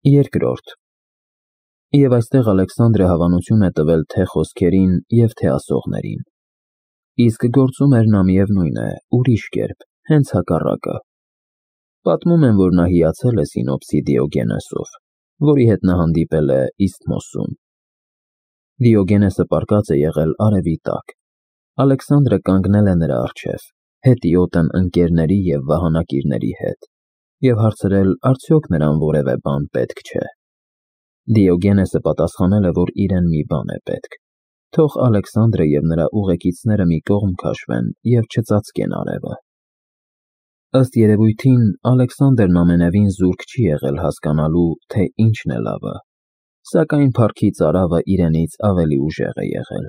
Երկրորդ Եվ այստեղ Ալեքսանդրը հավանություն է տվել թե խոսքերին և թե ասողներին։ Իսկ գործում էր նա միևնույն է, ուրիշ կերպ, հենց հակառակը։ Պատմում են, որ նա հիացել է Սինոպսի Դիոգենեսով, որի հետ նա հանդիպել է Իսթմոսում։ Դիոգենեսը պառկած է եղել արևի տակ։ Ալեքսանդրը կանգնել է նրա առջև, հետիոտն ընկերների և վահանակիրների հետ, և հարցրել արդյոք նրան որևէ բան պետք չէ։ Դիոգենեսը պատասխանել է, որ իրեն մի բան է պետք, թող Ալեքսանդրը և նրա ուղեկիցները մի կողմ քաշվեն և չծածկեն արևը։ Ըստ երևույթին, Ալեքսանդրն ամենևին զուրկ չի եղել հասկանալու, թե ինչն է լավը, սակայն փառքի ծարավը իրենից ավելի ուժեղ է եղել։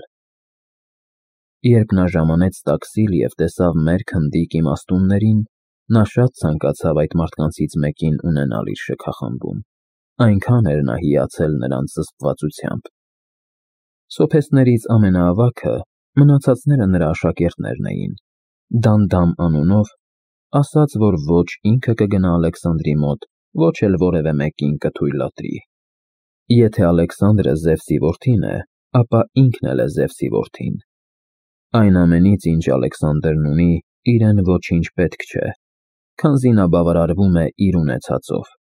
Երբ նա ժամանեց տաքսիլ և տեսավ մերկ հնդիկ իմաստուններին, նա շատ ցանկացավ այդ մարդկանցից մեկին ունենալ իր շքախմբում, այնքան էր նա հիացել նրանց զսպվածությամբ։ Սոփեստներից ամենաավագը, մնացածները նրա աշակերտներն էին, Դանդամ անունով, ասաց, որ ոչ ինքը կգնա Ալեքսանդրի մոտ, ոչ էլ որևէ մեկին կթույլատրի։ Եթե Ալեքսանդրը Զևսի որդին է, ապա ինքն էլ է Զևսի որդին։ Այն ամենից, ինչ Ալեքսանդրն ունի, իրեն ոչինչ պետք չէ, քանզի նա բավարարվում է իր ունեցածով,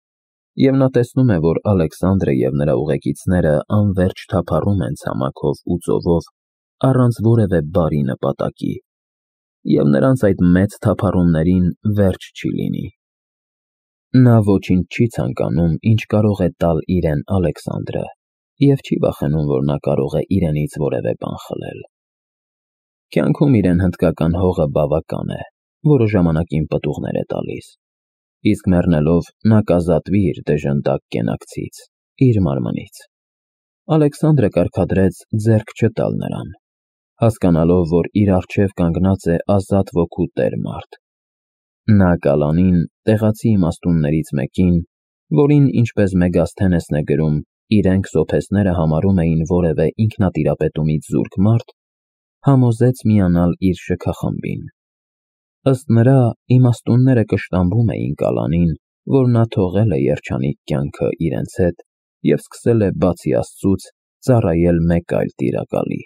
և նա տեսնում է, որ Ալեքսանդրը և նրա ուղեկիցները անվերջ թափառում են ցամաքով ու ծովով, առանց որևէ բարի նպատակի, և նրանց այդ մեծ թափառումներին վերջ չի լինի։ Նա ոչինչ չի ցանկանում, ինչ կարող է տալ իրեն Ալեքսանդրը, և չի վախենում, որ նա կարող է իրենից որևէ բան խլել։ Կյանքում իրեն հնդկական հողը բավական է, որը ժամանակին պտուղներ է տալիս, իսկ մեռնելով նա կազատվի իր դժնդակ կենակցից, իր մարմնից։ Ալեքսանդրը կարգադրեց ձեռք չտալ նրան, հասկանալով, որ իր առջև կանգնած է ազատ ոգու տեր մարդ։ Նա Կալանին, տեղացի իմաստուններից մեկին, որին, ինչպես Մեգասթենեսն է գրում, իրենք սոփեստները համարում էին որևէ ինքնատիրապետումից զուրկ մարդ, համոզեց միանալ իր շքախմբին։ Ըստ նրա, իմաստունները կշտամբում էին Կալանին, որ նա թողել է երջանիկ կյանքը իրենց հետ և սկսել է բացի Աստծուց ծառայել մեկ այլ տիրակալի։